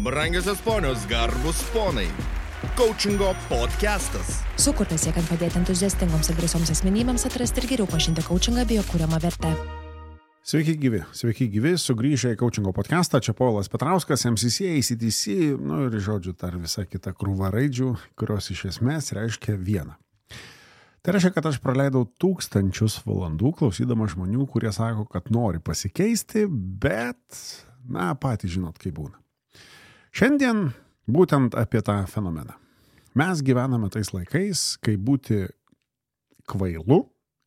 Brangiosios ponios, garbus ponai. Coachingo podcastas. Sukurtas siekiant padėti entuziastingoms ir drąsioms asmenybėms atrasti ir geriau pažinti coachingą bei jo kuriamą vertę. Sveiki gyvi, sugrįžę į coachingo podcastą, čia Povilas Petrauskas, MCC, ACTC, ir žodžiu, dar visa kita krūva raidžių, kurios iš esmės reiškia vieną. Tai reiškia, kad aš praleidau tūkstančius valandų klausydamas žmonių, kurie sako, kad nori pasikeisti, bet, patys žinot, kaip būna. Šiandien būtent apie tą fenomeną. Mes gyvename tais laikais, kai būti kvailu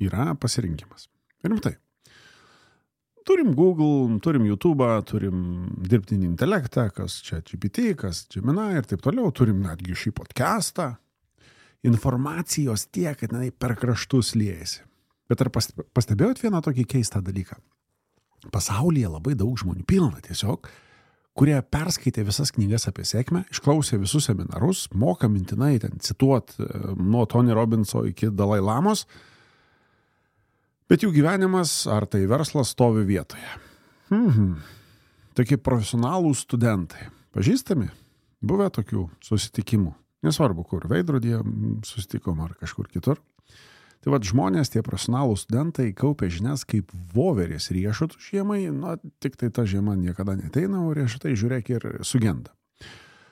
yra pasirinkimas. Rimtai. Turim Google, turim YouTube, turim dirbtinį intelektą, kas čia GPT, kas Gemini ir taip toliau. Turim netgi šį podcastą. Informacijos tiek, kad per kraštus liejasi. Bet ar pastebėjot vieną tokį keistą dalyką? Pasaulyje labai daug žmonių pilna tiesiog, kurie perskaitė visas knygas apie sėkmę, išklausė visus seminarus, moka mintinai ten cituot nuo Tony Robbinso iki Dalai Lamos, bet jų gyvenimas ar tai verslas stovi vietoje. Tokie profesionalūs studentai, pažįstami, buvę tokių susitikimų, nesvarbu kur, veidrodyje susitikom ar kažkur kitur. Tai žmonės, tie profesionalūs studentai kaupia žinias kaip voverės riešutų žiemai, tik tai ta žiema niekada neteina, o riešutai žiūrėk ir sugenda.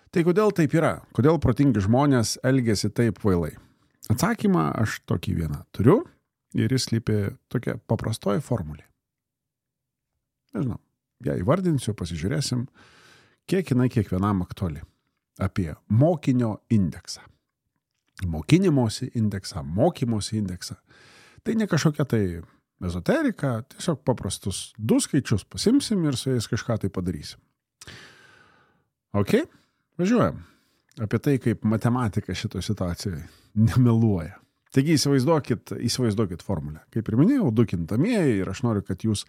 Tai kodėl taip yra? Kodėl protingi žmonės elgiasi taip kvailai? Atsakymą aš tokį vieną turiu ir jis slypi tokia paprastoji formulė. Nežinau, ją įvardinsiu, pasižiūrėsim, kiek jinai kiekvienam aktuali. Apie mokinio indeksą. Mokinimosi indeksą, mokymosi indeksą. Tai ne kažkokia tai ezoterika, tiesiog paprastus 2 skaičius pasimsim ir su jais kažką tai padarysim. Ok, važiuojam. Apie tai, kaip matematika šitoje situacijoje nemeluoja. Taigi įsivaizduokit formulę. Kaip ir minėjau, 2 kintamieji ir aš noriu, kad jūs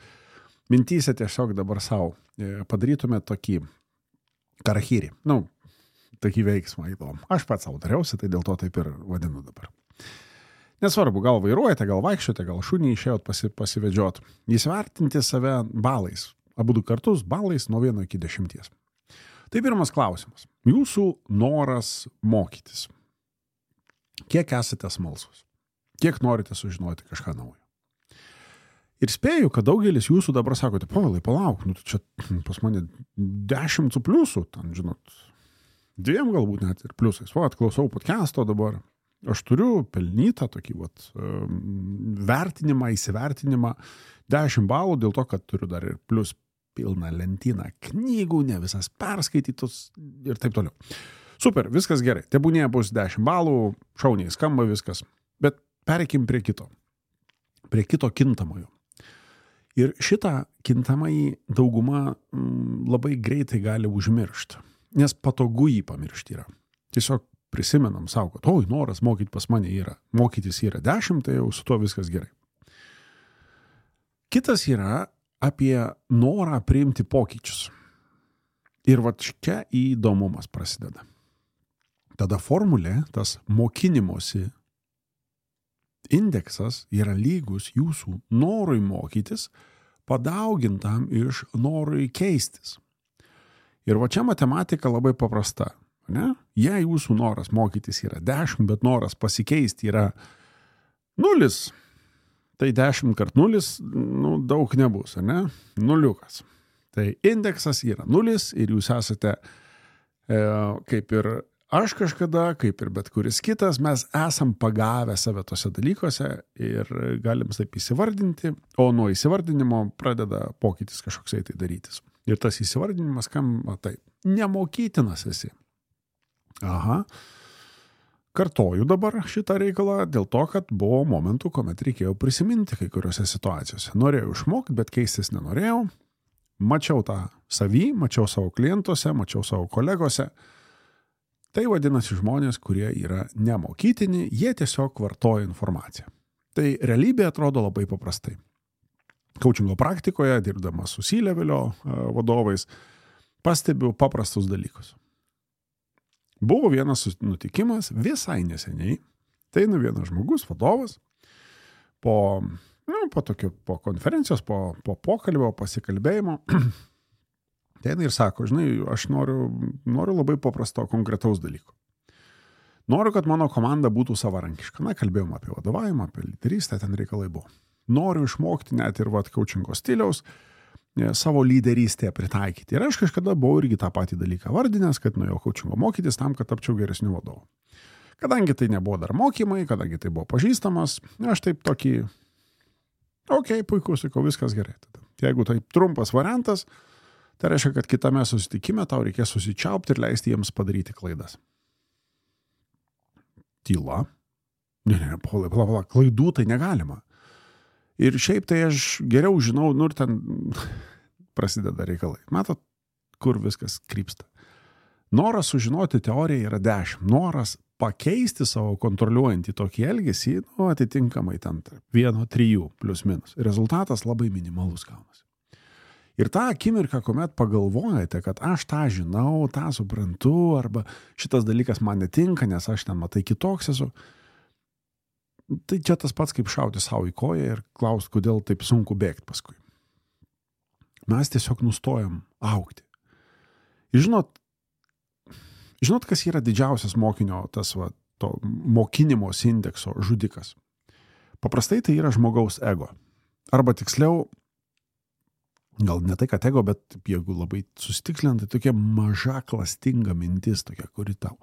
mintyse tiesiog dabar savo padarytumėte tokį karahyrį. Tokį veiksmą įdomu. Aš pats savo dariausi, tai dėl to taip ir vadinu dabar. Nesvarbu, gal vairuojate, gal vaikščiote, gal šunį išėjot pasivedžiot. Įsivertinti save balais. Abudu kartus balais nuo 1 iki 10. Tai pirmas klausimas. Jūsų noras mokytis. Kiek esate smalsus? Kiek norite sužinoti kažką naujo? Ir spėju, kad daugelis jūsų dabar sakote, Povilai, palauk, čia pas mane 10 su pliusu, ten, žinot, 2 galbūt net ir pliusais. Klausau podcasto dabar. Aš turiu pelnytą tokį vertinimą, įsivertinimą 10 balų dėl to, kad turiu dar ir plius pilną lentyną knygų, ne visas perskaitytus ir taip toliau. Super, viskas gerai. Tebūnie bus 10 balų, šauniai skamba viskas. Bet pereikim prie kito. Prie kito kintamojo. Ir šitą kintamąjį dauguma labai greitai gali užmiršti. Nes patogu jį pamiršti yra. Tiesiog prisimenam savo, kad noras mokyti pas mane yra. Mokytis yra 10, tai jau su tuo viskas gerai. Kitas yra apie norą priimti pokyčius. Ir čia įdomumas prasideda. Tada formulė, tas mokinimosi indeksas yra lygus jūsų norui mokytis, padaugintam iš norui keistis. Ir čia matematika labai paprasta. Ne? Jei jūsų noras mokytis yra 10, bet noras pasikeisti yra 0, tai 10 kart 0, daug nebus, ne? 0. Tai indeksas yra 0 ir jūs esate kaip ir aš kažkada, kaip ir bet kuris kitas, mes esam pagavę save tose dalykuose ir galim taip įsivardinti, o nuo įsivardinimo pradeda pokytis kažkoksai tai darytis. Ir tas įsivardinimas, taip, nemokytinas esi. Kartoju dabar šitą reikalą dėl to, kad buvo momentų, kuomet reikėjo prisiminti kai kuriuose situacijose. Norėjau išmokti, bet keistis nenorėjau. Mačiau tą savį, mačiau savo klientuose, mačiau savo kolegose. Tai vadinasi žmonės, kurie yra nemokytini, jie tiesiog vartoja informaciją. Tai realybė atrodo labai paprastai. Coachingo praktikoje, dirbdamas su C-levelio vadovais, pastebiu paprastus dalykus. Buvo vienas nutikimas visai neseniai. Tai vienas žmogus, vadovas, po po konferencijos, po pokalbio, pasikalbėjimo Ateina ir sako, žinai, aš noriu labai paprasto, konkretaus dalyko. Noriu, kad mano komanda būtų savarankiška. Na, kalbėjom apie vadovavimą, apie lyderystę, ten reikalai buvo. Noriu išmokti net ir coachingo stiliaus savo lyderystėje pritaikyti. Ir aš kažkada buvau irgi tą patį dalyką vardinęs, kad nuėjau coachingo mokytis tam, kad tapčiau geresniu vadovu. Kadangi tai nebuvo dar mokymai, kadangi tai buvo pažįstamas, aš taip tokį, puiku, sakau, viskas gerai. Tada. Jeigu tai trumpas variantas, tai reiškia, kad kitame susitikime tau reikės susičiaupti ir leisti jiems padaryti klaidas. Tyla. Ne, pala, klaidų tai negalima. Ir šiaip tai aš geriau žinau, ir ten prasideda reikalai. Matot, kur viskas krypsta. Noras sužinoti teoriją yra 10. Noras pakeisti savo kontroliuojantį tokį elgesį, atitinkamai ten 1-3 plius minus. Rezultatas labai minimalus gaunasi. Ir tą akimirką, kuomet pagalvojate, kad aš tą žinau, tą suprantu, arba šitas dalykas man netinka, nes aš ten matai kitoks esu, tai čia tas pats kaip šauti savo į koją ir klausti, kodėl taip sunku bėgti paskui. Mes tiesiog nustojam augti. Ir žinot, kas yra didžiausias mokinio, to mokinimos indekso žudikas? Paprastai tai yra žmogaus ego. Arba tiksliau, gal ne tai, kad ego, bet jeigu labai susitikslinant, tai tokia maža klastinga mintis, tokia, kuri tau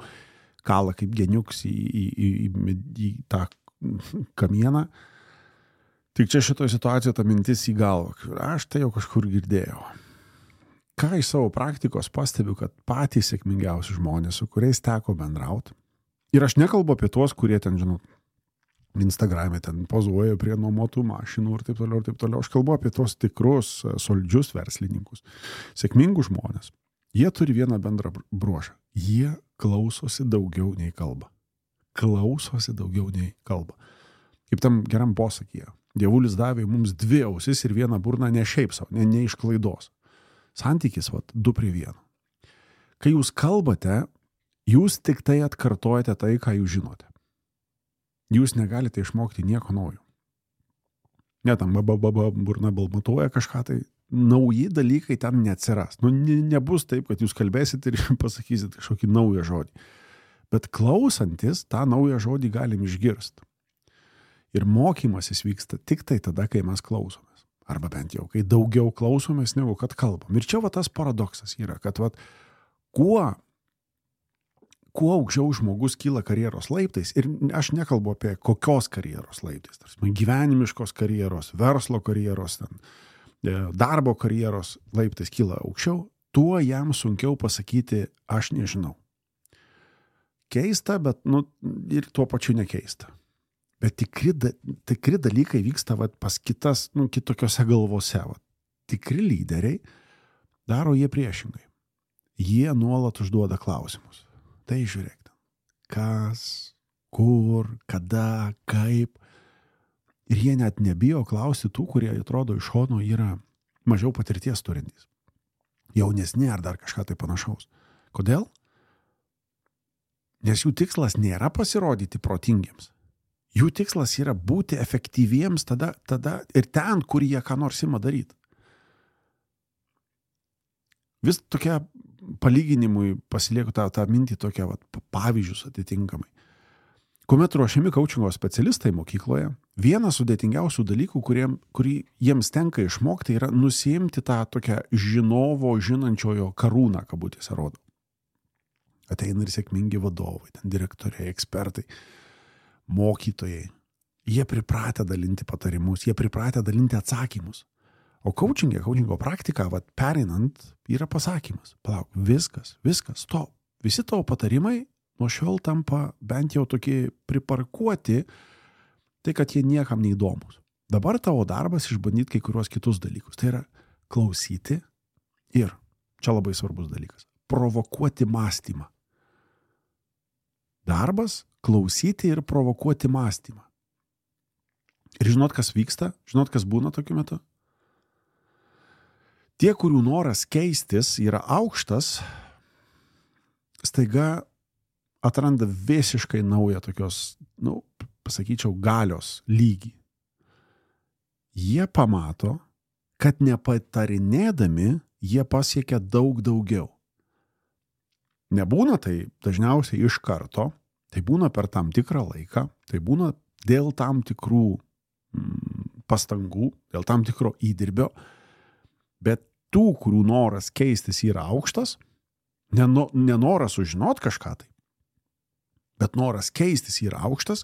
kala kaip geniuks į tą kamieną. Tik čia šitoje situacijoje ta mintis į galvą. Aš tai jau kažkur girdėjau. Ką iš savo praktikos pastebiu, kad patys sėkmingiausi žmonės, su kuriais teko bendrauti. Ir aš nekalbu apie tuos, kurie ten, žinot, Instagram'e ten pozuoja prie nuomotų mašinų ir taip toliau, ir taip toliau. Aš kalbu apie tuos tikrus, solidžius verslininkus. Sėkmingus žmonės. Jie turi vieną bendrą bruožą. Jie klausosi daugiau nei kalba. Klausosi daugiau nei kalba. Kaip tam geram posakyje. Dievulis davė mums 2 ausis ir 1 burną ne šiaip savo, ne iš klaidos. Santykis, 2:1. Kai jūs kalbate, jūs tik tai atkartojate tai, ką jūs žinote. Jūs negalite išmokti nieko naujo. Ne, tam burna balmatuoja kažką, tai nauji dalykai ten neatsiras. Nebus taip, kad jūs kalbėsit ir pasakysit kažkokį naują žodį. Bet klausantis, tą naują žodį galim išgirsti. Ir mokymasis vyksta tik tai tada, kai mes klausomės. Arba bent jau, kai daugiau klausomės, negu kad kalbam. Ir čia tas paradoksas yra, kad kuo aukščiau žmogus kyla karjeros laiptais, ir aš nekalbu apie kokios karjeros laiptais, tarsi gyvenimiškos karjeros, verslo karjeros, darbo karjeros laiptais kyla aukščiau, tuo jam sunkiau pasakyti, aš nežinau. Keista, bet ir tuo pačiu nekeista. Bet tikri dalykai vyksta pas kitas, kitokiose galvose. Tikri lyderiai daro jie priešingai. Jie nuolat užduoda klausimus. Tai žiūrėk, kas, kur, kada, kaip. Ir jie net nebijo klausti tų, kurie atrodo iš šono yra mažiau patirties turintys. Jaunesni ar dar kažką tai panašaus. Kodėl? Nes jų tikslas nėra pasirodyti protingiems. Jų tikslas yra būti efektyviems tada ir ten, kur jie ką nors ima daryti. Vis tokia palyginimui pasilieku tą mintį tokia pavyzdžius atitinkamai. Kuomet ruošiami coachingo specialistai mokykloje, vienas sudėtingiausių dalykų, kurį jiems tenka išmokti, yra nusiimti tą tokią žinovo, žinančiojo karūną, kabutėse rodo. Ateina ir sėkmingi vadovai, ten direktoriai, ekspertai, mokytojai. Jie pripratę dalinti patarimus, jie pripratę dalinti atsakymus. O coachingo praktika, pereinant, yra pasakymas. Palauk, viskas, stop. Visi tavo patarimai nuo šiol tampa bent jau tokie priparkuoti, tai kad jie niekam neįdomus. Dabar tavo darbas išbandyti kai kuriuos kitus dalykus. Tai yra klausyti ir, čia labai svarbus dalykas, provokuoti mąstymą. Darbas klausyti ir provokuoti mąstymą. Ir žinot, kas vyksta? Žinot, kas būna tokiu metu? Tie, kurių noras keistis yra aukštas, staiga atranda visiškai naują tokios, pasakyčiau, galios lygį. Jie pamato, kad nepatarinėdami jie pasiekia daug daugiau. Nebūna tai dažniausiai iš karto, tai būna per tam tikrą laiką, tai būna dėl tam tikrų pastangų, dėl tam tikro įdirbio, bet tų, kurių noras keistis yra aukštas, nenoras sužinot kažką tai, bet noras keistis yra aukštas,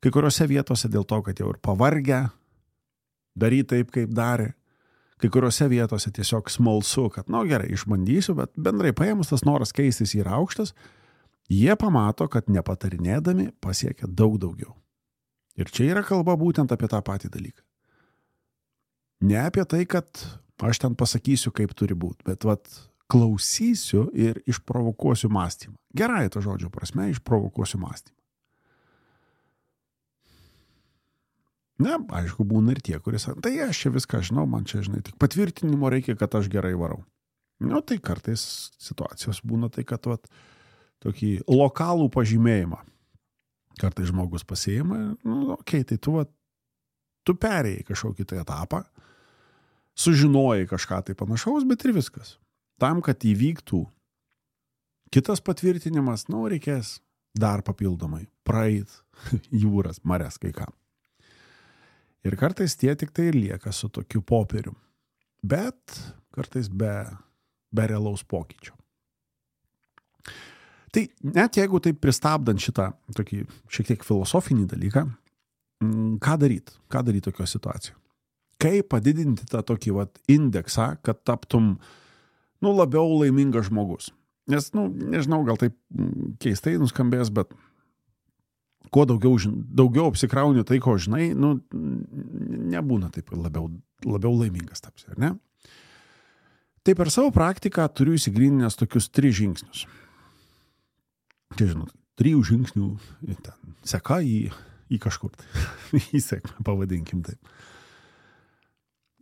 kai kuriuose vietose dėl to, kad jau ir pavargę, daryti taip, kaip darė, kai kuriuose vietose tiesiog smalsu, kad, gerai, išbandysiu, bet bendrai paėmus tas noras keistis yra aukštas, jie pamato, kad nepatarinėdami pasiekia daug daugiau. Ir čia yra kalba būtent apie tą patį dalyką. Ne apie tai, kad aš ten pasakysiu, kaip turi būti, bet klausysiu ir išprovokuosiu mąstymą. Gerai to žodžio prasme, išprovokuosiu mąstymą. Ne, aišku, būna ir tie, kuris, tai aš čia viską žinau, man čia, žinai, tik patvirtinimo reikia, kad aš gerai varau. Tai kartais situacijos būna tai, kad tokį lokalų pažymėjimą. Kartais žmogus pasiima, tai tu perėjai kažkokį tai etapą, sužinojai kažką tai panašaus, bet ir viskas. Tam, kad įvyktų kitas patvirtinimas, reikės dar papildomai praeit jūras, marias, kai ką. Ir kartais tie tik tai ir lieka su tokiu popieriu. Bet kartais be realaus pokyčio. Tai net jeigu taip pristabdant šitą tokį šiek tiek filosofinį dalyką, ką daryti? Ką daryti tokio situacijoje? Kaip padidinti tą tokį indeksą, kad taptum labiau laimingas žmogus? Nes, nežinau, gal taip keistai nuskambės, bet kuo daugiau apsikrauni tai, ko žinai, nebūna taip labiau laimingas tapsi, ar ne? Tai per savo praktiką turiu įsigryninęs tokius 3 žingsnius. Čia, žinot, 3 žingsnių seka į kažkur, į sėkmę, pavadinkim taip.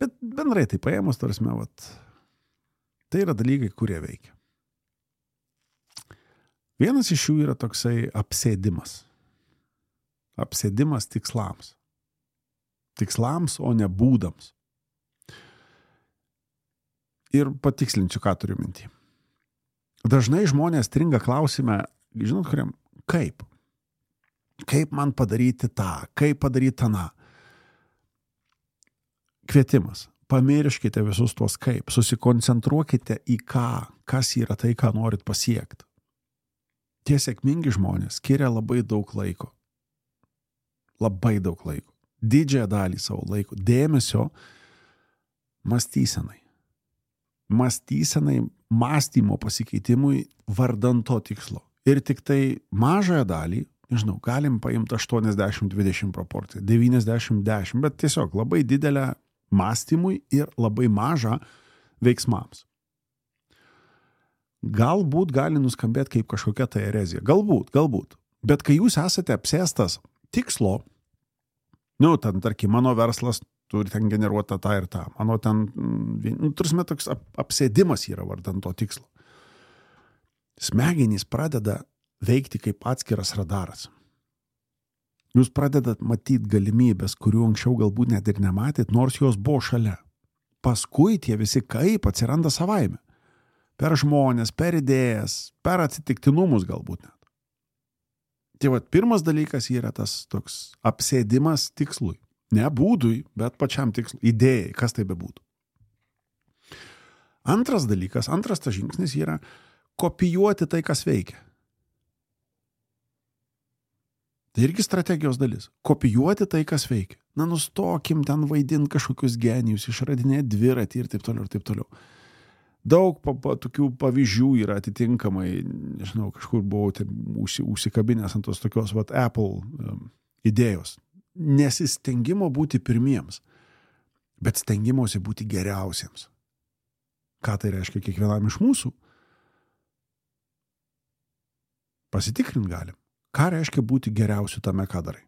Bet bendrai tai paėmus, tarsi, tai yra dalykai, kurie veikia. Vienas iš jų yra toksai apsėdimas. Apsėdimas tikslams. Tikslams, o ne būdams. Ir patikslinsiu, ką turiu minty. Dažnai žmonės stringa klausime, žinot, kuriam, kaip? Kaip man padaryti tą? Kaip padaryti tą? Kvietimas. Pamirškite visus tuos kaip. Susikoncentruokite į ką, kas yra tai, ką norit pasiekti. Tie sėkmingi žmonės skiria labai daug laiko. Labai daug laiko. Didžiąją dalį savo laiko. Dėmesio mąstysenai. Mąstymo pasikeitimui vardan to tikslo. Ir tik tai mažąją dalį, nežinau, galim paimti 80-20 proporciją, 90-10, bet tiesiog labai didelę mąstymui ir labai mažą veiksmams. Galbūt gali nuskambėti kaip kažkokia tai erezija. Galbūt. Bet kai jūs esate apsėstas tikslo, ten, tarkim, mano verslas turi ten generuoti tą ir tą. Mano ten, turime toks apsėdimas yra vardan to tikslo. Smegenys pradeda veikti kaip atskiras radaras. Jūs pradedat matyti galimybės, kurių anksčiau galbūt net ir nematėt, nors jos buvo šalia. Paskui tie visi kaip atsiranda savaime. Per žmonės, per idėjas, per atsitiktinumus galbūt net. Tai pirmas dalykas yra tas toks apsėdimas tikslui. Ne būdui, bet pačiam tikslui, idėjai, kas tai bebūtų. Antras dalykas, antras tas žingsnis yra kopijuoti tai, kas veikia. Tai irgi strategijos dalis. Kopijuoti tai, kas veikia. Nustokim ten vaidinti kažkokius genijus, išradinėti dviratį ir taip toliau, ir taip toliau. Daug tokių pavyzdžių yra atitinkamai, nežinau, kažkur buvau užsikabinęs ant tos tokios Apple idėjos. Nesistengimo būti pirmiems, bet stengimosi būti geriausiems. Ką tai reiškia kiekvienam iš mūsų? Pasitikrint galim. Ką reiškia būti geriausiu tame, ką darai?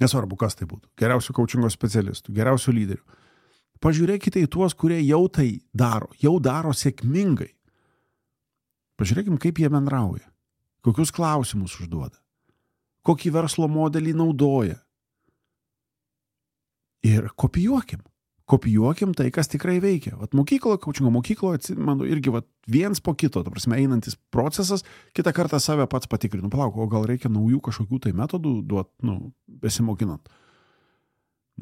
Nesvarbu, kas tai būtų. Geriausių coachingo specialistų, geriausių lyderių. Pažiūrėkite į tuos, kurie jau tai daro, jau daro sėkmingai. Pažiūrėkim, kaip jie bendrauja, kokius klausimus užduoda, kokį verslo modelį naudoja. Ir kopijuokim. Kopijuokim tai, kas tikrai veikia. Vat mokykloje, kaučingo mokykloje, atsimenu, irgi vat viens po kito, ta prasme, einantis procesas, kitą kartą save pats patikrinu. Palauk, o gal reikia naujų kažkokių tai metodų duot, besimokinant.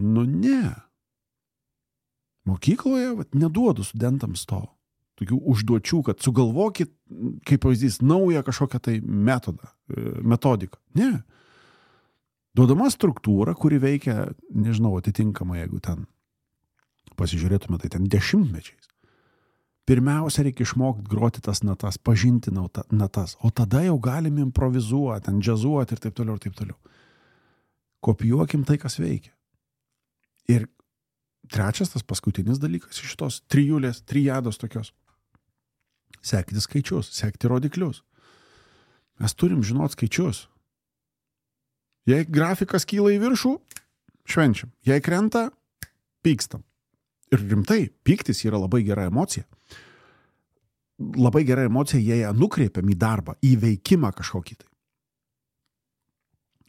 Ne. Mokykloje vat neduodu studentams to. Tokių užduočių, kad sugalvokit, kaip pavyzdys, naują kažkokią tai metodiką. Ne. Duodama struktūra, kuri veikia, nežinau, atitinkamai, jeigu ten pasižiūrėtume, tai ten 10-mečiais. Pirmiausia, reikia išmokti groti tas natas, pažinti natas, o tada jau galim improvizuoti, džiazuoti ir taip toliau, ir taip toliau. Kopijuokim tai, kas veikia. Ir trečias, tas paskutinis dalykas iš šitos trijados tokios. Sekti skaičius, sekti rodiklius. Mes turim žinoti skaičius. Jei grafikas kyla į viršų, švenčiam. Jei krenta, pykstam. Ir rimtai, pyktis yra labai gera emocija. Labai gera emocija, jei ją nukreipiam į darbą, į veikimą kažkokį tai.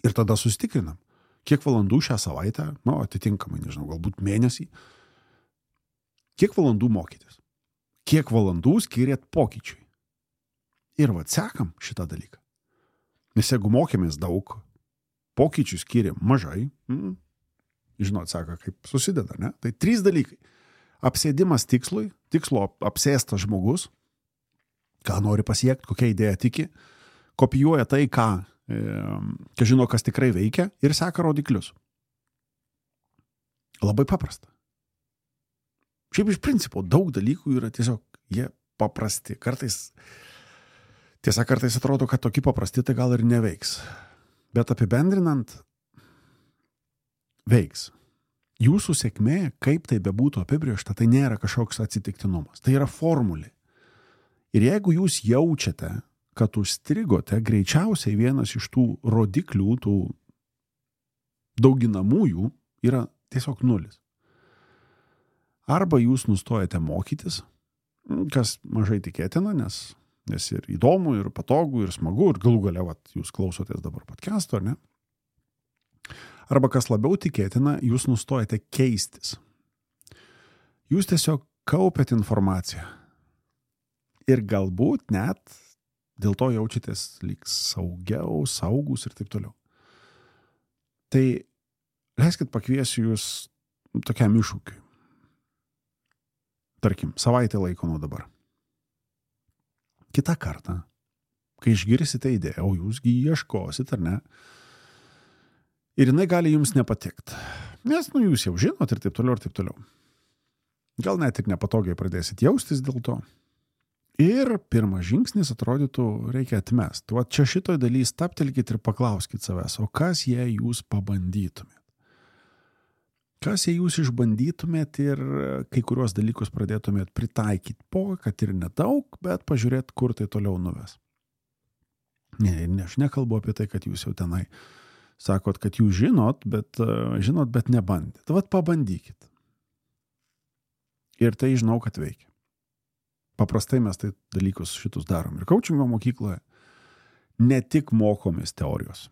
Ir tada susitikrinam, kiek valandų šią savaitę, atitinkamai, nežinau, galbūt mėnesį, kiek valandų mokytis, kiek valandų skiriat pokyčiui. Ir sekam šitą dalyką. Nes jeigu mokėmės daug, pokyčių skiriam mažai, žinot, sako, kaip susideda, ne? Tai 3 dalykai. Apsėdimas tikslui, tikslo apsėstas žmogus, ką nori pasiekti, kokią idėją tiki, kopijuoja tai, ką žino, kas tikrai veikia ir seka rodiklius. Labai paprasta. Šiaip iš principo daug dalykų yra tiesiog, jie paprasti. Kartais atrodo, kad tokie paprasti, tai gal ir neveiks. Bet apibendrinant, veiks. Jūsų sėkmė, kaip tai bebūtų apibrėžta, tai nėra kažkoks atsitiktinumas. Tai yra formulė. Ir jeigu jūs jaučiate, kad užstrigote, greičiausiai vienas iš tų rodiklių, tų dauginamųjų, yra tiesiog 0. Arba jūs nustojate mokytis, kas mažai tikėtina, nes ir įdomu, ir patogu, ir smagu, ir galų gale, jūs klausotės dabar podcast'o, ar ne? Arba kas labiau tikėtina, jūs nustojate keistis. Jūs tiesiog kaupiat informaciją. Ir galbūt net dėl to jaučiatės lyg saugiau, saugus ir taip toliau. Tai leiskit pakviesiu jūs tokiam iššūkiui. Tarkim, savaitę laiko nuo dabar. Kitą kartą, kai išgirsite idėją, o jūsgi ieškosit, ar ne? Ir jinai gali jums nepatikti. Nes, jūs jau žinot ir taip toliau, ir taip toliau. Gal net ir nepatogiai pradėsit jaustis dėl to. Ir pirmas žingsnis atrodytų, reikia atmesti. Čia šitoj daly stabtelkit ir paklauskit savęs, o kas jei jūs pabandytumėt? Kas jei jūs išbandytumėt ir kai kurios dalykus pradėtumėt pritaikyti kad ir nedaug, bet pažiūrėt, kur tai toliau nuves. Ne, aš nekalbu apie tai, kad jūs jau tenai sakot, kad jūs žinot, bet nebandėt. Pabandykit. Ir tai žinau, kad veikia. Paprastai mes tai dalykus šitus darom. Ir kaučingo mokykloje ne tik mokomės teorijos.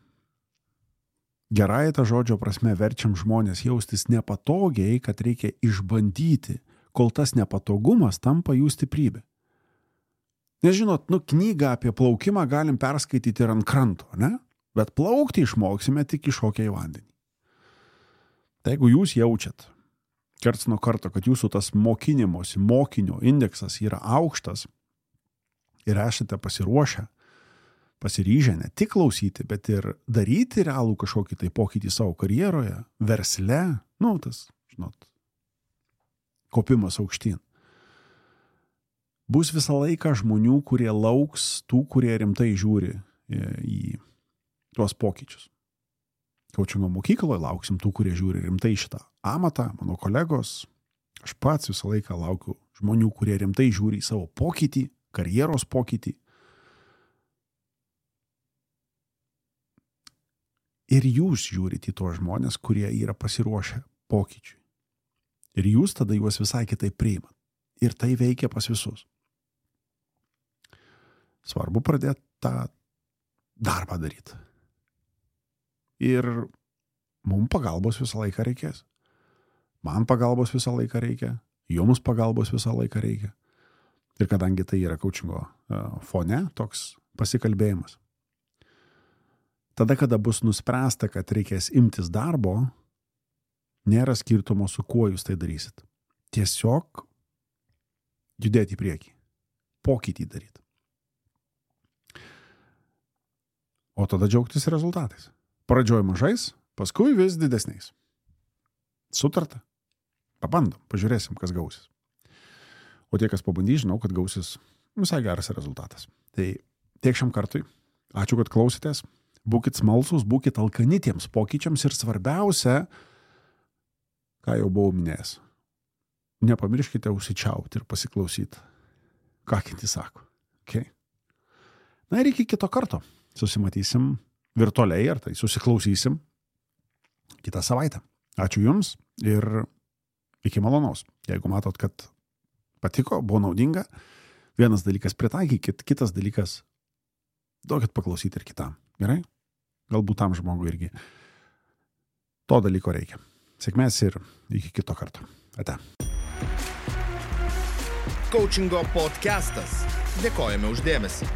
Gerąją tą žodžio prasme verčiam žmonės jaustis nepatogiai, kad reikia išbandyti, kol tas nepatogumas tampa jų stiprybė. Nes žinot, knygą apie plaukimą galim perskaityti ir ant kranto, ne? Bet plaukti išmoksime tik iššokę į vandenį. Tai jeigu jūs jaučiat karts nuo karto, kad jūsų tas mokinio indeksas yra aukštas ir esate pasiryžę ne tik klausyti, bet ir daryti realų kažkokį tai pokytį savo karjeroje, versle, tas, kopimas aukštyn. Bus visą laiką žmonių, kurie lauks tų, kurie rimtai žiūri į tuos pokyčius. Kaučingo mokykloje lauksim tų, kurie žiūri rimtai šitą amatą, mano kolegos. Aš pats visą laiką laukiu žmonių, kurie rimtai žiūri į savo pokytį, karjeros pokytį. Ir jūs žiūrite į tuos žmonės, kurie yra pasiruošę pokyčiui. Ir jūs tada juos visai kitaip priimat. Ir tai veikia pas visus. Svarbu pradėti tą darbą daryti. Ir mums pagalbos visą laiką reikės. Man pagalbos visą laiką reikia, jums pagalbos visą laiką reikia. Ir kadangi tai yra coachingo fone, toks pasikalbėjimas. Tada, kada bus nuspręsta, kad reikės imtis darbo, nėra skirtumo, su kuo jūs tai darysit. Tiesiog judėti į priekį, pokytį daryti. O tada džiaugtis rezultatais. Pradžioj mažais, paskui vis didesniais. Sutarta? Pabandom, pažiūrėsim, kas gausis. O tie, kas pabandys, žinau, kad gausis visai geras rezultatas. Tai tiek šiam kartui. Ačiū, kad klausėtės. Būkit smalsūs, būkit alkani tiems pokyčiams ir svarbiausia, ką jau buvau minėjęs, nepamirškite užsičiauti ir pasiklausyti, ką kiti sako. Okay? Na ir iki kito karto. Susimatysim virtualiai, ar tai susiklausysim kitą savaitę. Ačiū Jums ir iki malonaus. Jeigu matot, kad patiko, buvo naudinga, vienas dalykas pritaikykit, kitas dalykas duokit paklausyti ir kitam. Gerai? Galbūt tam žmogui irgi to dalyko reikia. Sėkmės ir iki kito karto. Ate. Coachingo podcastas. Dėkojame už dėmesį.